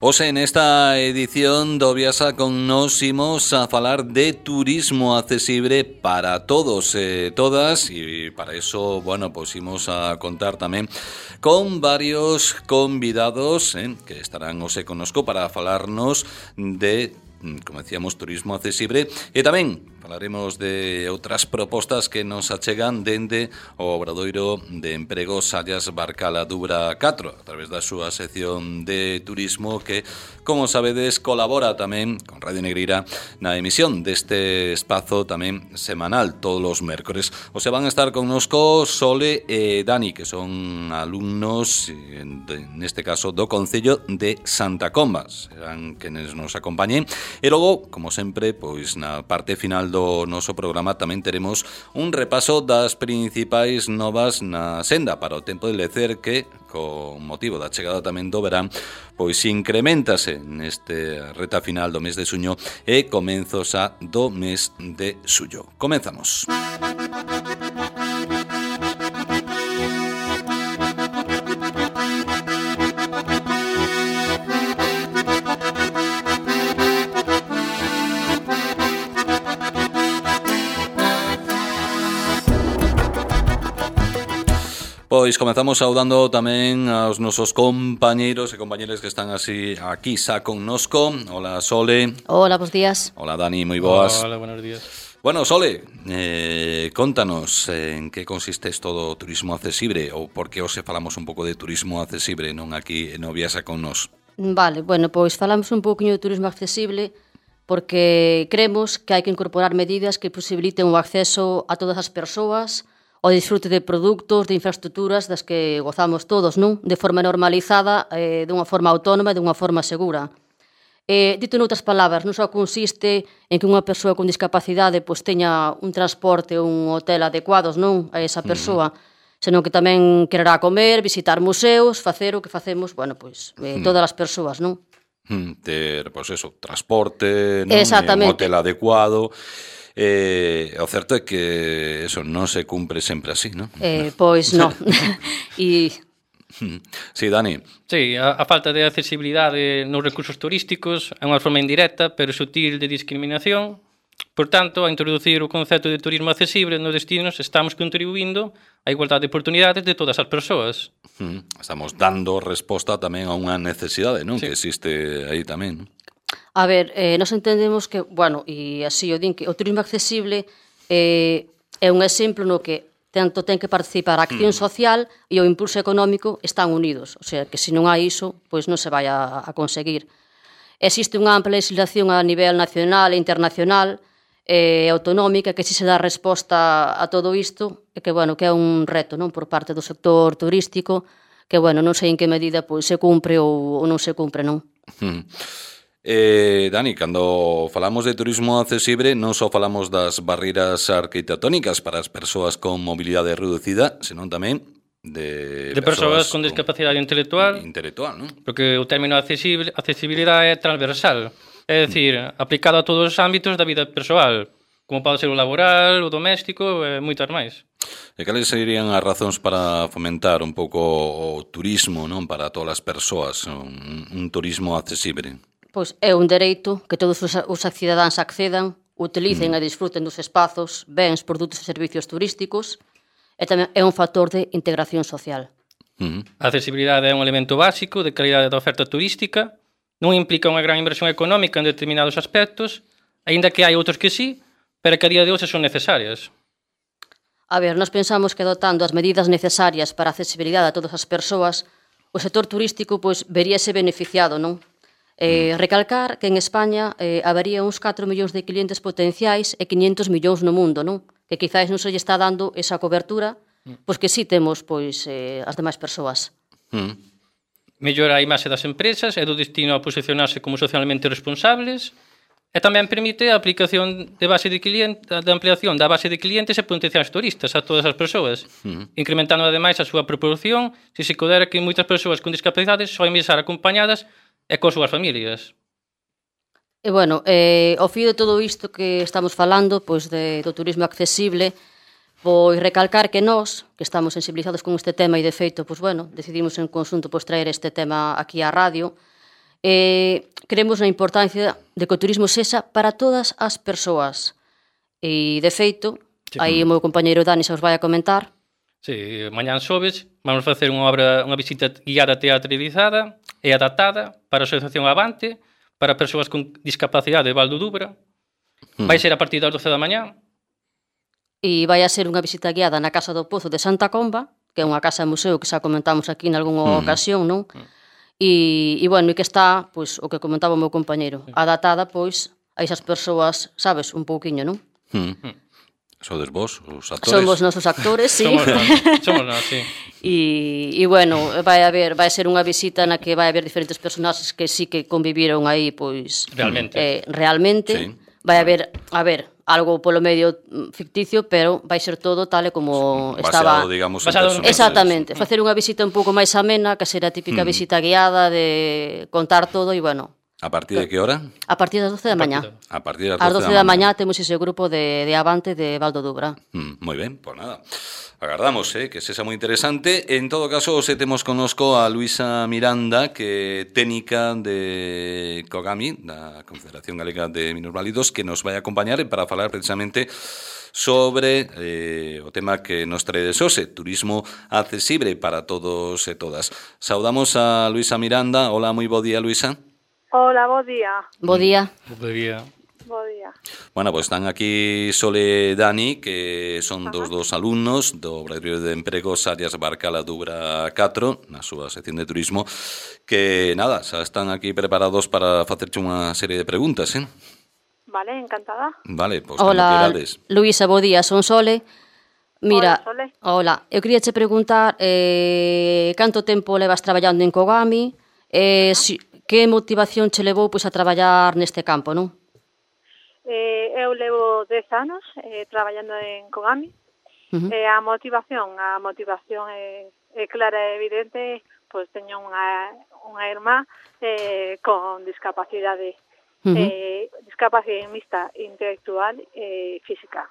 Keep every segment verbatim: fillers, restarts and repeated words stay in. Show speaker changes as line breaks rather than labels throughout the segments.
Hoxe nesta edición do Viaxa con Nos imos a falar de turismo accesible para todos e todas, e para eso, bueno, pues imos a contar tamén con varios convidados eh, que estarán hoxe connosco para falarnos de, como decíamos, turismo accesible, e tamén falaremos de outras propostas que nos achegan dende o Obradoiro de Emprego Sallas Barcala Dubra catro, a través da súa sección de turismo que, como sabedes, colabora tamén con Radio Negreira na emisión deste espazo tamén semanal todos os mércores. O se van a estar connosco Sole e Dani, que son alumnos, neste caso, do Concello de Santa Comba. Serán quenes nos acompañen. E logo, como sempre, pois na parte final do noso programa tamén teremos un repaso das principais novas na senda para o tempo de lecer que, con motivo da chegada tamén do verán, pois incrementase neste reta final do mes de xuño e comenzos a do mes de xullo. Comenzamos. Pois comezamos saudando tamén aos nosos compañeiros e compañeras que están así aquí xa connosco. Hola, Sole.
Hola, bons días.
Hola, Dani, moi boas.
Hola, buenos días.
Bueno, Sole, eh, contanos en que consiste isto do turismo accesible ou por que hoxe falamos un pouco de turismo accesible, non aquí no Viaxa con Nos.
Vale, bueno, pois falamos un pouquinho de turismo accesible porque cremos que hai que incorporar medidas que posibiliten o acceso a todas as persoas o disfrute de produtos, de infraestructuras das que gozamos todos, non? De forma normalizada, eh, dunha forma autónoma e dunha forma segura. Eh, dito noutras palabras, non só consiste en que unha persoa con discapacidade pois, teña un transporte ou un hotel adecuados non a esa persoa, uh-huh. senón que tamén quererá comer, visitar museos, facer o que facemos, bueno, pois, eh, todas as persoas, non?
Uh-huh. Ter, pois eso, transporte, non? Un hotel adecuado. Eh, o certo é que eso non se cumpre sempre así, non?
Eh, pois non. E...
Sí, Dani.
Sí, a, a falta de accesibilidade nos recursos turísticos é unha forma indirecta, pero sutil de discriminación. Por tanto, a introducir o concepto de turismo accesible nos destinos estamos contribuindo á igualdade de oportunidades de todas as persoas.
Estamos dando resposta tamén a unha necesidade, non?
Sí.
Que existe aí tamén, non?
A ver, eh, nos entendemos que, bueno, e así o din que o turismo accesible eh, é un exemplo no que tanto ten que participar a acción social e o impulso económico están unidos. O sea, que se non hai iso, pois non se vai a, a conseguir. Existe unha ampla legislación a nivel nacional e internacional e eh, autonómica que si se dá resposta a todo isto e que, bueno, que é un reto, non, por parte do sector turístico que, bueno, non sei en que medida pois se cumpre ou, ou non se cumpre, non?
Hmm. Eh, Dani, cando falamos de turismo accesible non só falamos das barreiras arquitectónicas para as persoas con mobilidade reducida, senón tamén de,
de persoas, persoas con discapacidade intelectual,
intelectual, non?
Porque o término accesible, accesibilidade é transversal, é dicir, mm. aplicado a todos os ámbitos da vida persoal, como pode ser o laboral, o doméstico e moitas máis.
E cales serían as razóns para fomentar un pouco o turismo, non, para todas as persoas, un, un turismo accesible?
Pois é un dereito que todos os, os cidadáns accedan, utilicen mm. e disfruten dos espazos, bens, produtos e servicios turísticos e tamén é un factor de integración social.
Mm. A accesibilidade é un elemento básico de calidade da oferta turística, non implica unha gran inversión económica en determinados aspectos, aínda que hai outros que sí, pero que a día de hoxe son necesarias.
A ver, nós pensamos que adoptando as medidas necesarias para a accesibilidade a todas as persoas, o sector turístico pois veríase beneficiado, non? Eh, recalcar que en España eh, habería uns catro millóns de clientes potenciais e quinhentos millóns no mundo, non? Que quizás non se lle está dando esa cobertura, pois que sí temos pois eh, as demais persoas.
Mm. Mellora a imaxe das empresas e do destino a posicionarse como socialmente responsables e tamén permite a aplicación de base de cliente, de ampliación da base de clientes e potenciais turistas a todas as persoas, mm. incrementando ademais a súa proporción se se considera que moitas persoas con discapacidades soen estar acompañadas e con súas familias.
E, bueno, eh, ao fío de todo isto que estamos falando, pois, de, do turismo accesible, pois recalcar que nós, que estamos sensibilizados con este tema e, de feito, pois, bueno, decidimos en conxunto pois, traer este tema aquí á radio, Eh, creemos na importancia de que o turismo sexa para todas as persoas. E, de feito, sí. aí o meu compañeiro Dani se os vai a comentar.
Sí, mañán xoves vamos facer unha obra, unha visita guiada teatralizada e adaptada para a Asociación Avante, para persoas con discapacidade de Val do Dubra. Mm. Vai ser a partir das doce da mañá.
E vai a ser unha visita guiada na Casa do Pozo de Santa Comba, que é unha casa museo que xa comentamos aquí en algunha mm. ocasión, non? Mm. E, e, bueno, e que está, pois, o que comentaba o meu compañeiro, mm. adaptada, pois, a esas persoas, sabes, un pouquiño, non?
Mm. Mm. Sodes vos, os actores?
Somos nosos actores, sí.
Somos nós, somos nós, sí.
E, e bueno, vai haber, vai ser unha visita na que vai haber diferentes personaxes que sí que conviviron aí, pois...
Realmente.
Eh, realmente.
Sí.
Vai haber, a ver, algo polo medio ficticio, pero vai ser todo tal e como
basado,
estaba...
digamos,
basado
en
exactamente. Facer unha visita un pouco máis amena, que será a típica mm. visita guiada de contar todo e, bueno...
A partir de que hora?
A partir das doce da mañá.
A partir das
doce, doce da mañá temos ese grupo de, de Avante de Val do Dubra.
Mm, moi ben, pois pues nada. Agardamos, eh, que sexa moi interesante. En todo caso, se temos connosco a Luisa Miranda, que é técnica de COGAMI, da Confederación Galega de Minusválidos, que nos vai acompañar para falar precisamente sobre eh, o tema que nos trae de Xose, turismo accesible para todos e todas. Saudamos a Luisa Miranda. Hola, moi bo día, Luisa.
Hola, bo día.
Bo día.
Bo día.
Bo día.
Bueno, pues están aquí Sole e Dani, que son Ajá. dos dos alumnos do Obradoiro de Empregos Arias Barcala Dubra catro, na súa sección de turismo, que, nada, xa están aquí preparados para facerche unha serie de preguntas, eh?
Vale, encantada.
Vale, pois pues,
hola, Luisa, bo día, son Sole. Mira,
hola, Sole.
Hola, eu quería che preguntar eh, canto tempo levas traballando en COGAMI, eh, si, que motivación che levou pois, a traballar neste campo, non?
Eh, eu levo dez anos eh, traballando en COGAMI. Uh-huh. Eh, a motivación, a motivación é, é clara e evidente, pois teño unha, unha irmá eh, con discapacidade, uh-huh. eh, discapacidade mixta intelectual e eh, física.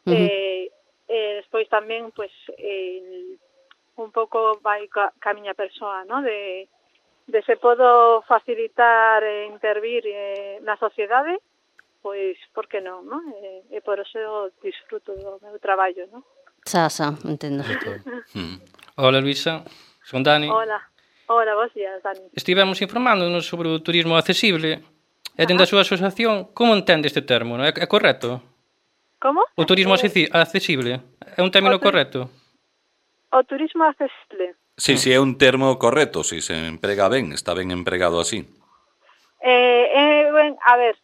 Uh-huh. Eh, eh, despois tamén, pois, eh, un pouco vai ca, ca miña persoa, ¿no? de de se podo facilitar e intervir eh, na sociedade, pois, por que non, non? E, e por eso disfruto do meu traballo, non?
Xa, xa, entendo.
Hola, Luisa, son Dani.
Hola, hola, vos días, Dani.
Estivemos informándonos sobre o turismo accesible e dentro da súa asociación, como entende este termo? É, é correcto?
Como?
O turismo
eh,
accesible é un término correcto?
O turismo accesible.
Sí, sí, é un termo correcto, si se emprega ben, está ben empregado así.
Eh, eh, ben, a ver,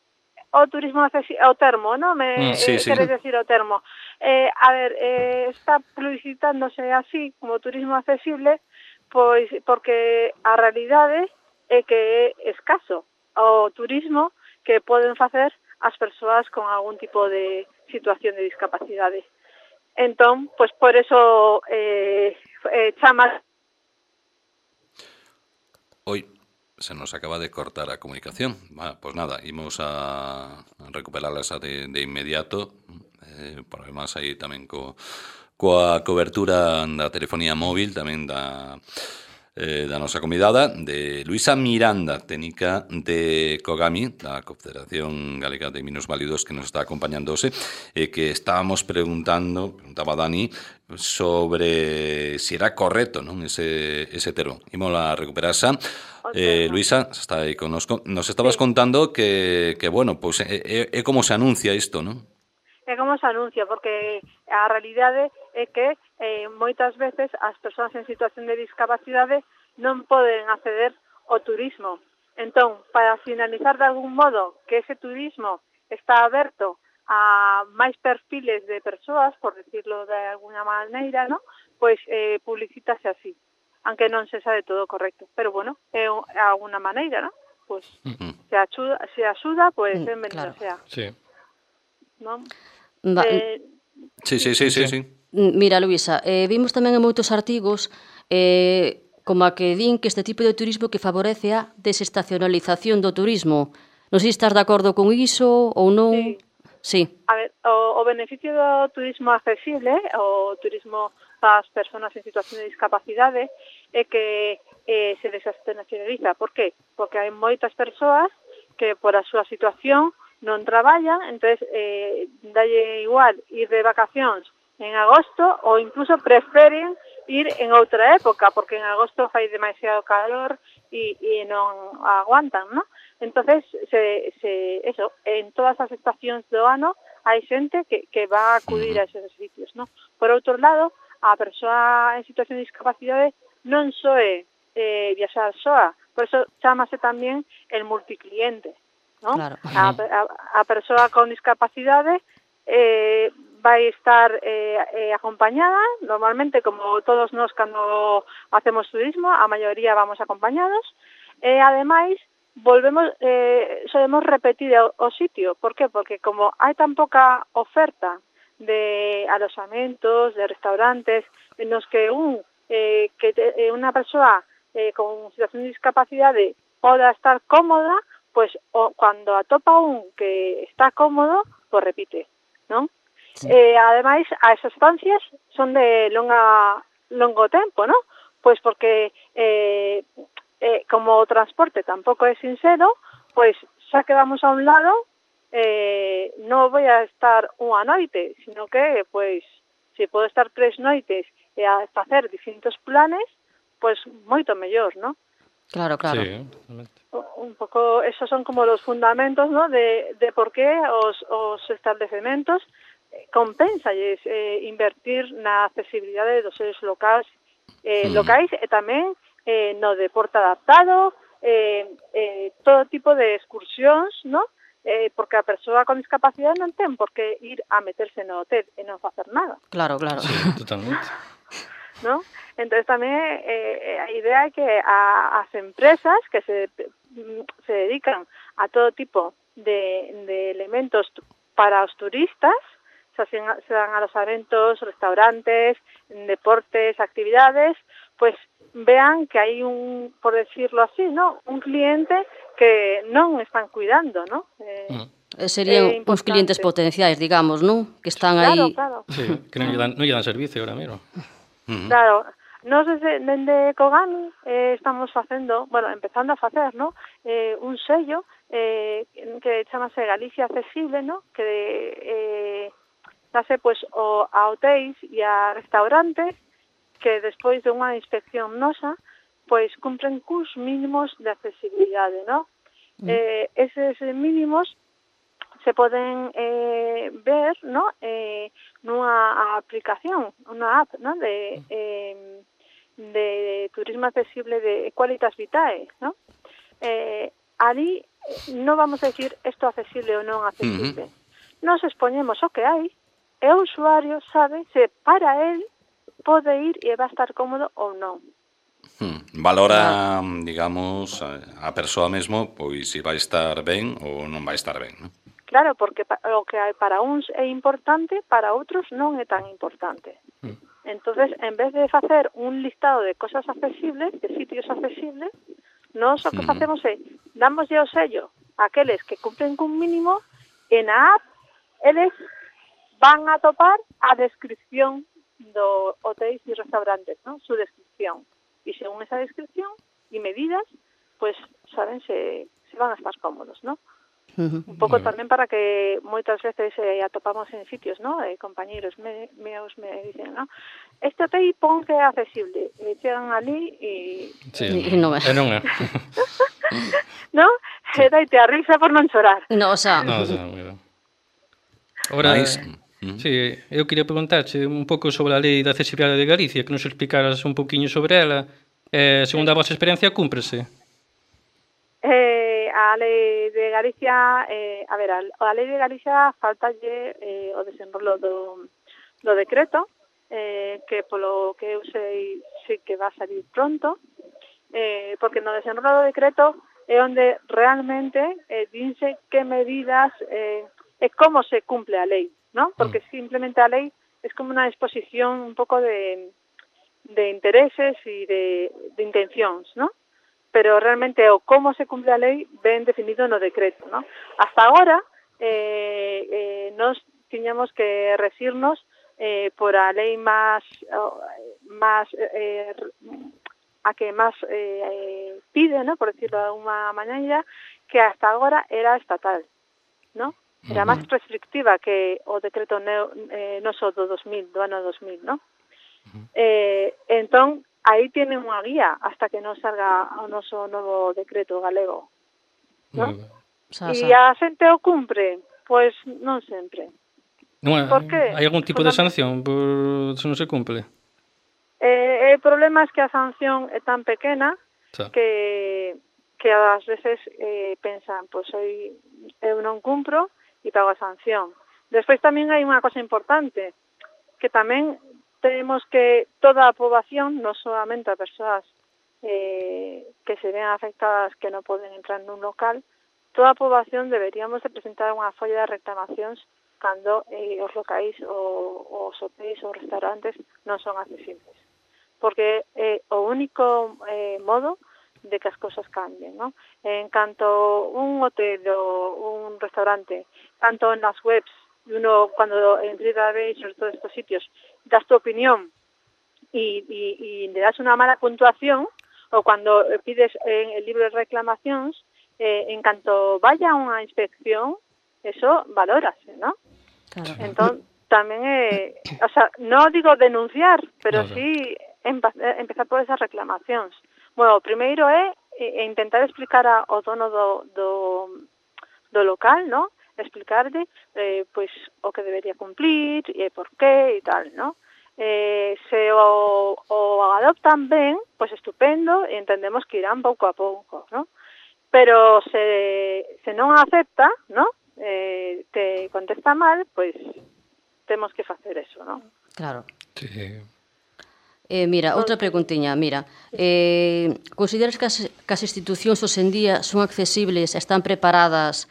o turismo accesible, o termo, ¿no? Me,
mm, sí,
eh,
sí.
Queres decir o termo. Eh, a ver, eh, está publicitándose así, como turismo accesible, pois porque a realidade é que é escaso o turismo que poden facer as persoas con algún tipo de situación de discapacidade. Entón, pois por eso eh, eh, chama...
Oi, se nos acaba de cortar a comunicación. Bueno, pues nada, imos a recuperarla de, de inmediato. Eh, problemas aí tamén co, coa cobertura da telefonía móvil, tamén da, eh, da nosa convidada, de Luisa Miranda, técnica de COGAMI, da Confederación Galega de Minusválidos, que nos está acompañándose, e eh, que estábamos preguntando, preguntaba Dani, sobre si era correcto, non, ese, ese termo. Imos a recuperar xa. Eh, Luisa, está aí connosco. Nos estabas sí. contando que, que bueno, pues, é, é, é como se anuncia isto, non?
É como se anuncia, porque a realidade é que eh, moitas veces as persoas en situación de discapacidade non poden acceder ao turismo. Entón, para finalizar de algún modo que ese turismo está aberto a máis perfiles de persoas, por decirlo de alguna maneira, ¿no? Pois eh, publicítase así, aunque non se sabe todo correcto. Pero bueno, é alguna maneira, ¿no? Pois uh-huh. se axuda, se axuda, pois pues, benvenido claro. sea.
Sí.
¿No?
Va,
eh,
sí, sí, sí, sí, sí.
Mira, Luisa, eh, vimos tamén en moitos artigos eh, como a que din que este tipo de turismo que favorece a desestacionalización do turismo. Non sei se estás de acordo con iso ou non.
Sí.
Sí.
A ver, o, o beneficio do turismo accesible, o turismo as persoas en situación de discapacidade é que eh, se desinstitucionaliza. Por qué? Porque hai moitas persoas que por a súa situación non traballan, entonces eh, dalle igual ir de vacacións en agosto ou incluso preferen ir en outra época, porque en agosto fai demasiado calor e, e non aguantan, ¿no? Entonces, se, se, eso, en todas as estacións do ano hai xente que, que va a acudir a esos sitios, ¿no? Por outro lado, a persoa en situación de discapacidade non só é eh, viaxar soa, por eso chámase tamén el multicliente, ¿no?
Claro.
A, a, a persoa con discapacidade eh, vai estar eh, eh, acompañada, normalmente como todos nós cando hacemos turismo, a maioría vamos acompañados, e ademais volvemos, eh, solemos repetir o, o sitio. Por qué? Porque como hai tan poca oferta de alojamentos, de restaurantes, en los que un eh, que te, eh, unha persoa eh, con situación de discapacidade poda estar cómoda, pues o, cuando atopa un que está cómodo, pues repite, ¿no? Sí. Eh, ademais, as estancias son de longa longo tempo, ¿no? Pues porque eh, eh, como o transporte tampouco é sincero, pues xa que vamos a un lado, eh, non voy a estar unha noite, sino que, pues, se podo estar tres noites e a facer distintos planes, pues moito mellor, ¿no?
Claro, claro.
Sí,
un pouco, esos son como los fundamentos, ¿no? De, de por qué os, os establecementos compénsalles eh, invertir na accesibilidade dos seres locais, eh, locais e tamén eh, no deporte adaptado, eh, eh, todo tipo de excursións, ¿no? Eh, porque a persoa con discapacidade non ten por que ir a meterse no hotel e non facer nada.
Claro, claro.
Sí, totalmente.
¿No? Entonces tamén eh, a idea é que a, as empresas que se, se dedican a todo tipo de, de elementos para os turistas, se dan alojamentos, restaurantes, deportes, actividades, pues vean que hay un, por decirlo así, ¿no? Un cliente que non están cuidando, ¿no? Eh,
mm. Serían uns clientes potenciais, digamos, ¿no? Que están
claro,
aí...
Claro,
sí, que non lle dan, non lle dan servicio ahora mesmo.
Uh-huh. Claro, nós desde, desde Kogami eh, estamos facendo, bueno, empezando a facer, ¿no? Eh, un sello eh, que chamase Galicia Accesible, ¿no? Que eh, dase pues o, a hotéis e a restaurantes que despois de unha inspección nosa pois cumpren cus mínimos de accesibilidade, ¿no? Mm. Eh, eses mínimos se poden eh, ver, ¿no? Eh, nunha aplicación, unha app, ¿no? De, eh, de turismo accesible de Qualitas Vitae, ¿no? Eh, ali non vamos a decir isto accesible ou non accesible. Mm-hmm. Nos expoñemos o que hai e o usuario sabe se para él pode ir e vai estar cómodo ou non.
Hmm. Valora, digamos, a persoa mesmo, pois se vai estar ben ou non vai estar ben, non?
Claro, porque o que hai para uns é importante, para outros non é tan importante. Hmm. Entonces, en vez de facer un listado de cosas accesibles, de sitios accesibles, nós o que hmm. facemos é, damoslle o sello a aqueles que cumplen cun mínimo e na app, eles van a topar a descripción do hotéis e restaurantes, ¿no? Su descripción. Y según esa descripción y medidas, pues saben se, se van a estar cómodos, ¿no? Uh-huh. Un pouco tamén para que moitas veces eh, atopamos en sitios, ¿no? Eh, compañeros me, meus me dicen, ¿no? Este hotel pon que é accesible. E chegan ali e...
Sí, e non é. E non é.
¿No? Sí. E daite a risa por non chorar.
No, o sea...
No, o sea, mira. Ahora... Nice. Sí, eu queria preguntarche un pouco sobre a Lei de Accesibilidade de Galicia, que nos explicaras un pouquiño sobre ela. Eh, segundo a vosa experiencia, cúmprese?
Eh, a Lei de Galicia, eh, a ver, a, a Lei de Galicia faltalle eh, o desenrolo do, do decreto, eh, que polo que eu sei, sei que va a salir pronto, eh, porque no desenrolo do decreto é onde realmente eh, dinse que medidas eh, e como se cumple a lei, ¿no? Porque simplemente a lei es como una exposición un poco de, de intereses y de, de intencións, ¿no? Pero realmente o cómo se cumple a lei ben definido no decreto, ¿no? Hasta agora eh, eh, nos tiñamos que resirnos eh, por a lei máis, máis eh, a que máis eh, pide, ¿no? Por decirlo de alguna maneira, que hasta agora era estatal, ¿no? Era uh-huh. máis restrictiva que o decreto neo, eh, noso do dos mil, do ano dos mil, ¿no? Uh-huh. Eh, entón, aí tiene unha guía hasta que non salga o noso novo decreto galego, ¿no? Uh-huh. E a xente o cumpre? Pois non sempre.
Non, por que? Hai algún tipo de sanción por se non se cumple?
Eh, el problema é que a sanción é tan pequena sí. que que ás veces eh, pensan, pois pues, eu non cumpro e pago a sanción. Despois tamén hai unha cosa importante, que tamén tenemos que toda a poboación, non solamente a persoas eh, que se ven afectadas que non poden entrar nun local, toda a poboación deberíamos de presentar unha folla de reclamacións cando eh, os locais ou os hotéis ou restaurantes non son accesibles. Porque é eh, o único eh, modo de que as cousas cambien, ¿no? En canto un hotel ou un restaurante, tanto en las webs, uno cuando en TripAdvisor, sobre todos estos sitios, das tu opinión y, y, y le das una mala puntuación, o cuando pides en el libro de reclamacións, eh, en canto vaya unha inspección, eso valórase, ¿no? Claro. Entón, tamén é, o sea, non digo denunciar, pero claro. sí empezar por esas reclamacións. Bueno, o primeiro é intentar explicar ao dono do, do, do local, ¿no? Explicarle eh, pois o que debería cumplir e por qué e tal, ¿no? Eh, se o, o adoptan ben, pois estupendo, e entendemos que irán pouco a pouco, ¿no? Pero se, se non acepta, ¿no? Eh, te contesta mal, pois temos que facer eso, ¿no?
Claro.
Sí.
Eh, mira, outra preguntiña, mira, eh, consideras que as, que as institucións hoxendía son accesibles e están preparadas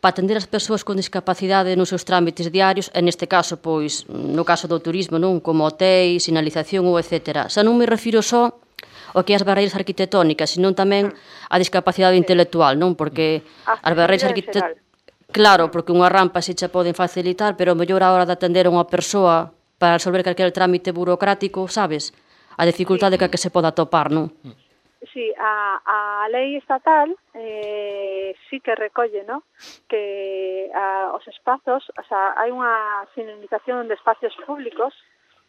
para atender as persoas con discapacidade nos seus trámites diarios, e neste caso, pois, no caso do turismo, non, como hotéis, sinalización ou etcétera. Xa non me refiro só ao que as barreiras arquitectónicas, senón tamén a discapacidade intelectual, non? Porque as barreiras arquitectónicas, claro, porque unha rampa se xa poden facilitar, pero mellor a hora de atender a unha persoa para resolver calquer trámite burocrático, sabes? A dificultade sí. que, que se poda topar, non?
Sí, a, a lei estatal eh, sí que recolle, ¿no? Que a, os espazos, o sea, hai unha señalización de espacios públicos,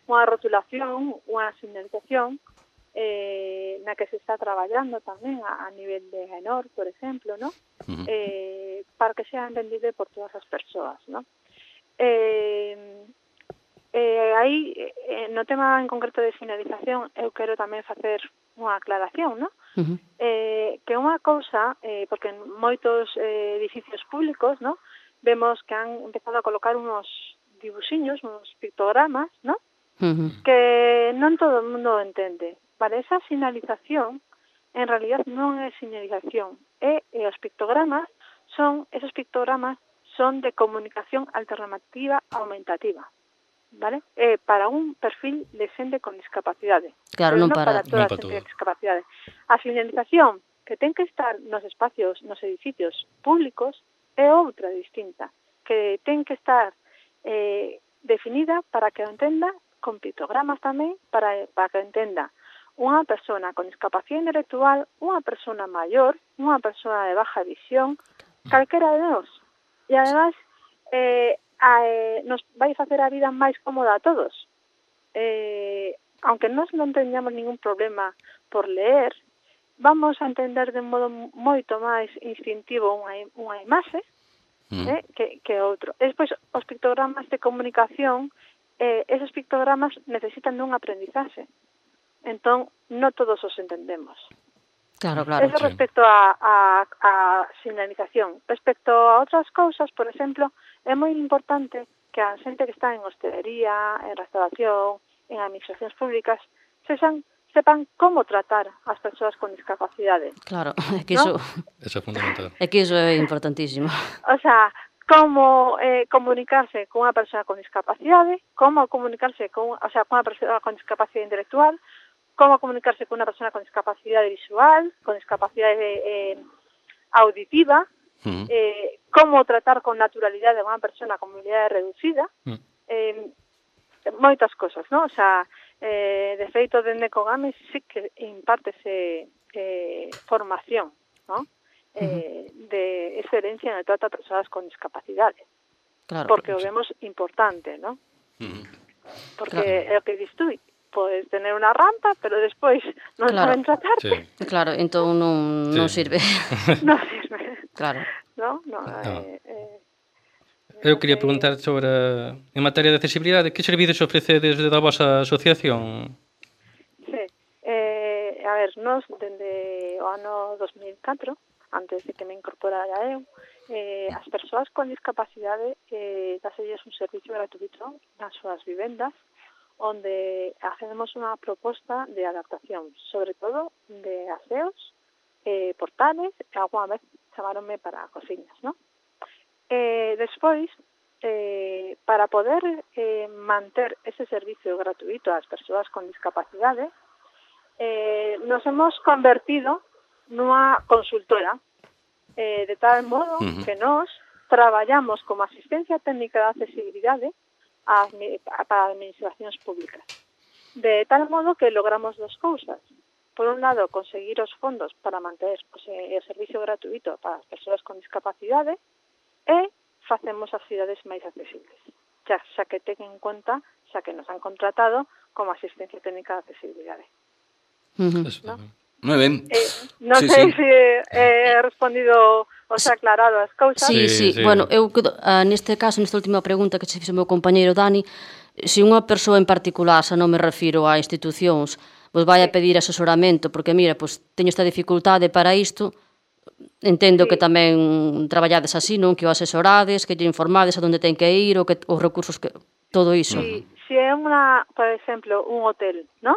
unha rotulación, unha señalización eh, na que se está traballando tamén a, a nivel de AENOR, por exemplo, ¿no? Uh-huh. Eh, para que sea entendido por todas as persoas, ¿no? Eh, Eh, aí, eh, no tema en concreto de señalización, eu quero tamén facer unha aclaración, ¿no? Uh-huh. Eh, que unha cousa, eh, porque en moitos eh, edificios públicos, ¿no? Vemos que han empezado a colocar unos dibuxiños, unos pictogramas, ¿no? Uh-huh. Que non todo o mundo entende. Vale, esa señalización, en realidad non é señalización, e, e os pictogramas son, esos pictogramas son de comunicación alternativa aumentativa. ¿Vale? Eh, para un perfil de xente con discapacidade.
Claro, non para,
para toda a xente con discapacidade. A señalización que ten que estar nos espacios, nos edificios públicos é outra distinta, que ten que estar eh, definida para que o entenda con pictogramas tamén, para, para que entenda unha persona con discapacidade intelectual, unha persona maior, unha persona de baja visión, calquera de nós. E además, eh, A, eh, nos vai facer a vida máis cómoda a todos. Eh, aunque nós non teñamos ningún problema por leer, vamos a entender de un modo moito máis instintivo unha, unha imaxe mm. eh, que, que outro. E despois, os pictogramas de comunicación, eh, esos pictogramas necesitan dun aprendizaxe. Entón, non todos os entendemos.
Claro, claro.
Eso respecto a, a, a señalización. Respecto a outras cousas, por exemplo, é moi importante que a xente que está en hostelería, en restauración, en administracións públicas, sexan, sepan como tratar as persoas con discapacidade.
Claro, é que iso,
¿no? Eso é fundamental.
É que iso é importantísimo.
O sea, como eh, comunicarse con unha persoa con discapacidade, como comunicarse con, o sea, con unha persoa con discapacidade intelectual, como comunicarse con unha persona con discapacidade visual, con discapacidade eh, auditiva, uh-huh. eh, como tratar con naturalidade a unha persona con movilidade reducida. Uh-huh. Eh, moitas cosas, non? O sea, eh, de feito, dende Cogame sí que impártese eh, formación, non? Eh, de excelencia en el trato a persoas con discapacidade.
Claro.
Porque o vemos importante, non? Uh-huh. Porque claro. É o que dis tú, podes tener unha rampa, pero despois non
claro.
saben tratarte.
Sí.
Claro, entón non,
sí.
non sirve.
non sirve.
Claro.
Non, non,
no.
eh, eh,
Eu quería preguntar sobre, en materia de accesibilidade, que servicios ofrecedes desde a vosa asociación?
Sí, eh, a ver, nos, dende o ano dos mil catro, antes de que me incorporara eu, eh, as persoas con discapacidade eh, dáselles un servicio gratuito nas súas vivendas, onde hacemos unha proposta de adaptación, sobre todo de aseos, eh, portales, e alguna vez chamaronme para cociñas, non? Eh, despois, eh, para poder eh, manter ese servicio gratuito ás persoas con discapacidade, eh, nos hemos convertido nunha consultora, eh, de tal modo uh-huh. que nos traballamos como asistencia técnica de accesibilidade a, a, para administracións públicas. De tal modo que logramos dos cousas. Por un lado, conseguir os fondos para manter pues, o servicio gratuito para as persoas con discapacidade, e facemos as cidades máis accesibles, xa, xa que ten en conta, xa que nos han contratado como asistencia técnica de accesibilidade.
Uh-huh.
¿No?
Moi ben.
Eh, non
sí,
sei
sí.
se he respondido ou se aclarado as cousas.
Sí, sí, sí. Bueno, eu uh, neste caso, nesta última pregunta que se fixo o meu compañeiro Dani, se unha persoa en particular, xa non me refiro a institucións, vos vai a pedir asesoramento, porque mira, pues, teño esta dificultade para isto, entendo sí. que tamén traballades así, non? Que o asesorades, que lle informades a onde ten que ir, o que, os recursos, que todo iso.
Sí, se é unha, por exemplo, un hotel, non?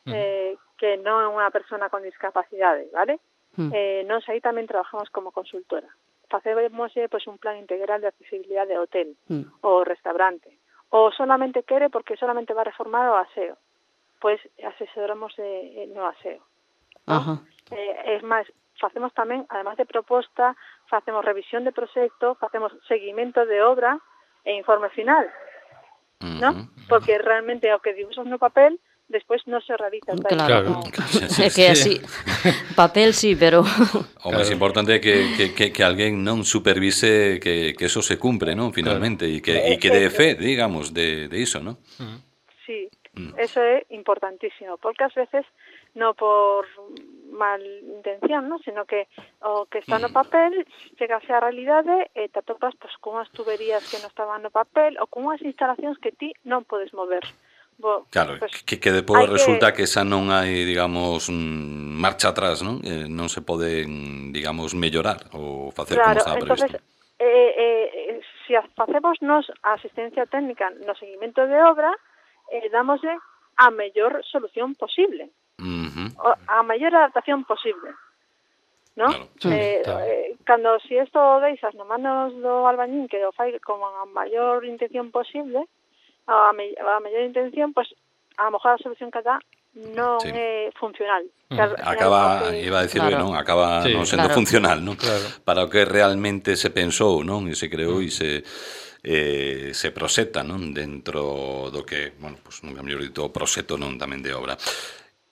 Uh-huh. Eh, que non é unha persona con discapacidade, vale? Uh-huh. Eh, nós aí tamén trabajamos como consultora. Facemos pues, un plan integral de accesibilidade de hotel uh-huh. ou restaurante. Ou solamente quere porque solamente va a reformar o aseo. Pois asesoramos eh, no aseo. ¿No? Uh-huh. Eh, es máis, facemos tamén, además de proposta, facemos revisión de proxecto, facemos seguimento de obra e informe final, uh-huh. ¿no? Porque realmente o que dibuixas no papel despois non se realiza.
Claro, é que así, papel sí, pero...
O máis importante é que, que, que, que alguén non supervise que, que eso se cumpre, ¿no? Finalmente, e que, e que dé fe, digamos, de, de iso, ¿no?
Sí, eso é importantísimo, porque ás veces non por mal intención, ¿no? Sino que o que está no papel chegase á realidade e te atopas pues, con unhas tuberías que non estaban no papel ou con unhas instalacións que ti non podes mover. Bo,
claro,
pues,
que, que depois resulta
que...
que esa non hai, digamos, marcha atrás, non? Eh, non se pode, digamos, mellorar ou facer
claro,
como estaba previsto.
Entonces, eh, eh, se facemos nos a asistencia técnica no seguimento de obra, eh, damosle a mellor solución posible. Uh-huh. A mellor adaptación posible. ¿No? Claro, sí, eh, eh, cando si isto o deixas no manos do albañín que o fai con a maior intención posible, a, me, a mellor intención, pues, a lo mejor a solución que dá non sí. é funcional.
Mm. Acaba, que... iba a decirlo, claro. non? Acaba sí, non sendo claro. funcional, non? Claro. Para o que realmente se pensou, non? E se creou e se eh, se proseta, non? Dentro do que, bueno, pues, nunca mellor dito, proxecto non tamén de obra.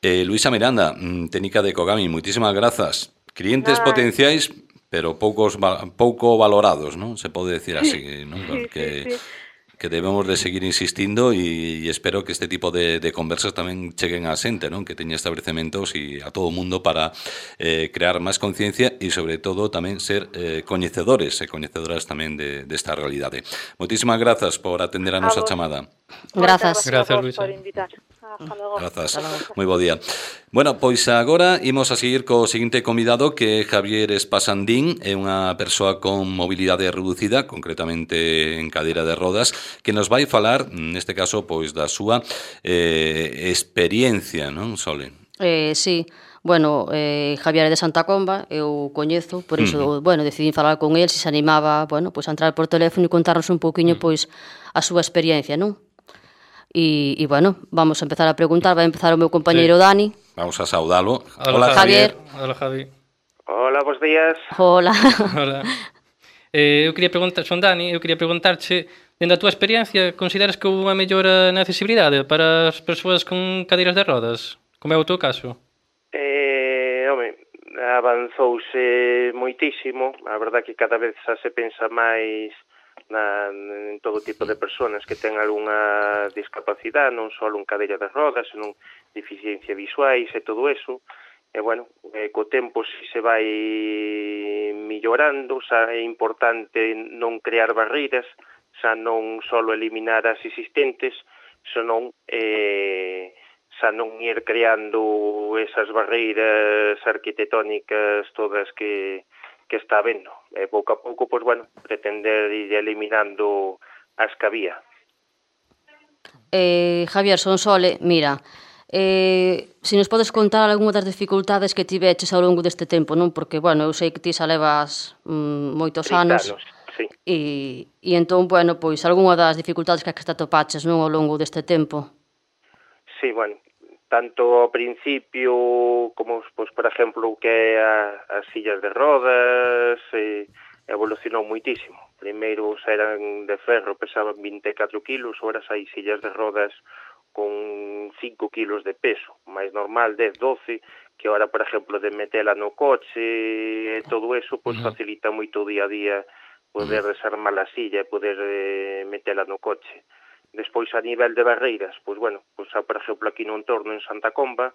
Eh, Luisa Miranda, técnica de Cogami, moitísimas grazas. Clientes ah. potenciais, pero poucos pouco valorados, non? Se pode decir así, non? Porque... Sí, sí, sí. que debemos de seguir insistindo e, e espero que este tipo de, de conversas tamén cheguen a xente, non? Que teña establecementos e a todo o mundo para eh, crear máis conciencia e, sobre todo, tamén ser eh, coñecedores e coñecedoras tamén de, desta realidade. Moitísimas grazas por atender a nosa a chamada.
Grazas.
Grazas, Luisa.
Por invitar. Hasta logo.
Grazas. Moi bo día. Bueno, pois agora imos a seguir co seguinte convidado, que é Javier Espasandín, é unha persoa con mobilidade reducida, concretamente en cadeira de rodas, que nos vai falar, neste caso, pois da súa eh, experiencia, non, Sole?
Eh, sí. Bueno, eh, Javier é de Santa Comba, eu coñezo, por iso, uh-huh. bueno, decidí falar con el, se se animaba, bueno, pois a entrar por teléfono e contarnos un pouquiño, uh-huh. pois, a súa experiencia, non? E, e, bueno, vamos a empezar a preguntar, vai empezar o meu compañeiro sí. Dani.
Vamos a saudalo.
Hola,
Hola Javier.
Javier. Hola, Javi.
Hola, bons días.
Hola.
Hola. Eh, eu quería preguntar, son Dani, eu quería preguntarche Dende a túa experiencia, consideras que houve unha mellora na accesibilidade para as persoas con cadeiras de rodas? Como é o teu caso?
Eh, home, avanzouse moitísimo. A verdade que cada vez xa se pensa máis na, en todo tipo de persoas que ten algunha discapacidade, non só en cadeira de rodas, senón deficiencia visuais e todo eso. E, bueno, eh, co tempo si se vai millorando, xa é importante non crear barreiras, xa non só eliminar as existentes, senón eh, xa non ir creando esas barreiras arquitectónicas todas que, que está habendo. E pouco a pouco, pois, bueno, pretender ir eliminando as que había.
Eh, Javier Sonsole, mira, eh, se nos podes contar algunha das dificultades que tiveches ao longo deste tempo, non? Porque, bueno, eu sei que ti xa levas mm, moitos anos,
anos sí.
e, e entón, bueno, pois, algunha das dificultades que te atopaches, non, ao longo deste tempo?
Sí, bueno, tanto ao principio como, pois, por exemplo, que é a, as sillas de rodas, eh, evolucionou moitísimo. Primeiro eran de ferro, pesaban vinte e catro kilos, ahora hai sillas de rodas con cinco kilos de peso, máis normal dez, doce, que ahora, por exemplo, de metela no coche e todo eso, pois facilita moito o día a día poder desarmar a silla e poder eh, metela no coche. Despois, a nivel de barreiras, pois, bueno, pois, por exemplo, aquí no entorno en Santa Comba,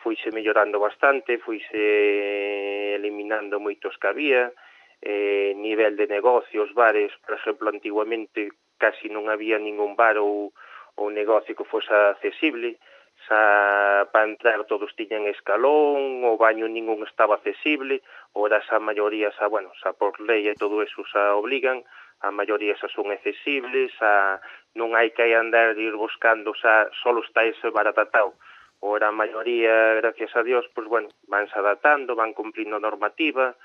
fuise mellorando bastante, fuise eliminando moitos que había, eh, nivel de negocios, bares, por exemplo, antiguamente casi non había ningún bar ou, ou negocio que fose accesible, xa para entrar todos tiñan escalón, o baño ningún estaba accesible, ora xa a maioría, xa, bueno, xa por lei e todo eso xa obligan, a maioría xa son accesibles, xa non hai que andar de ir buscando, xa solo está ese bar adaptado. Ora a maioría, gracias a Dios, pois, bueno, vanse adaptando, van cumplindo a normativa,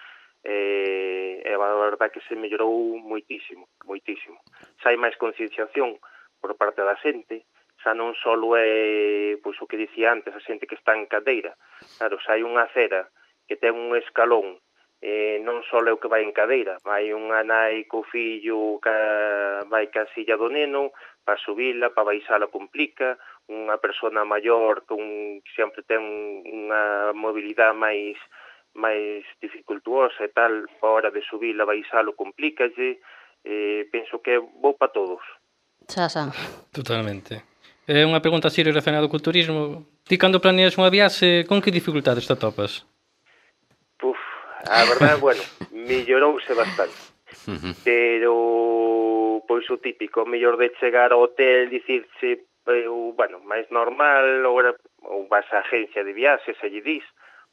e, e a verdade que se mellorou moitísimo, moitísimo. Xa hai máis concienciación por parte da xente, xa non só é, pois, o que dicía antes, a xente que está en cadeira. Claro, xa hai unha acera que ten un escalón, eh, non só é o que vai en cadeira, vai unha nai co fillo, ca, vai ca silla do neno, para subila, para baixala complica, unha persona maior con sempre ten unha mobilidade máis máis dificultuosa e tal, a hora de subila, baixalo complícalle, eh, penso que é bo para todos.
Xa, xa.
Totalmente. É unha pregunta así relacionada co turismo. Ti, cando planeas unha viaxe, con que dificultades te atopas?
Puf, a verdade, bueno, mellorouse bastante. Pero, pois, o típico, o mellor de chegar ao hotel, dicirse, eh, bueno, máis normal, ou, ou vas á agencia de viaxes e lle dis,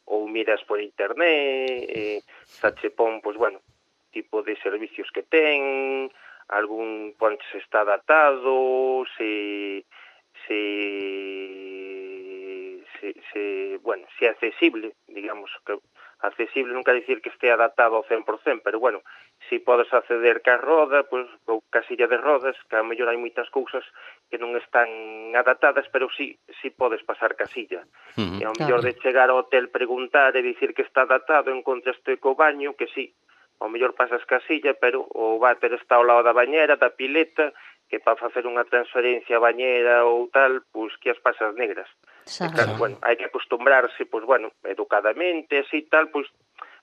ou miras por internet, eh, xa che pon, pois, bueno, tipo de servicios que ten, algún ponche se está adaptado, se, se, se, se, bueno, se é accesible, digamos, que accesible non quer dicir que este adaptado ao cen por cen, pero, bueno, si podes acceder ca roda, pois, ou ca silla de rodas, que a mellor hai moitas cousas que non están adaptadas, pero si, si podes pasar ca silla. Uh-huh. E ao mellor de chegar ao hotel, preguntar e dicir que está adaptado, encontraste co baño, que si, ao mellor pasas ca silla, pero o váter está ao lado da bañera, da pileta, que para facer unha transferencia a bañera ou tal, pois que as pasas negras. E, claro, bueno, hai que acostumbrarse, pois, bueno, educadamente, así tal, pois,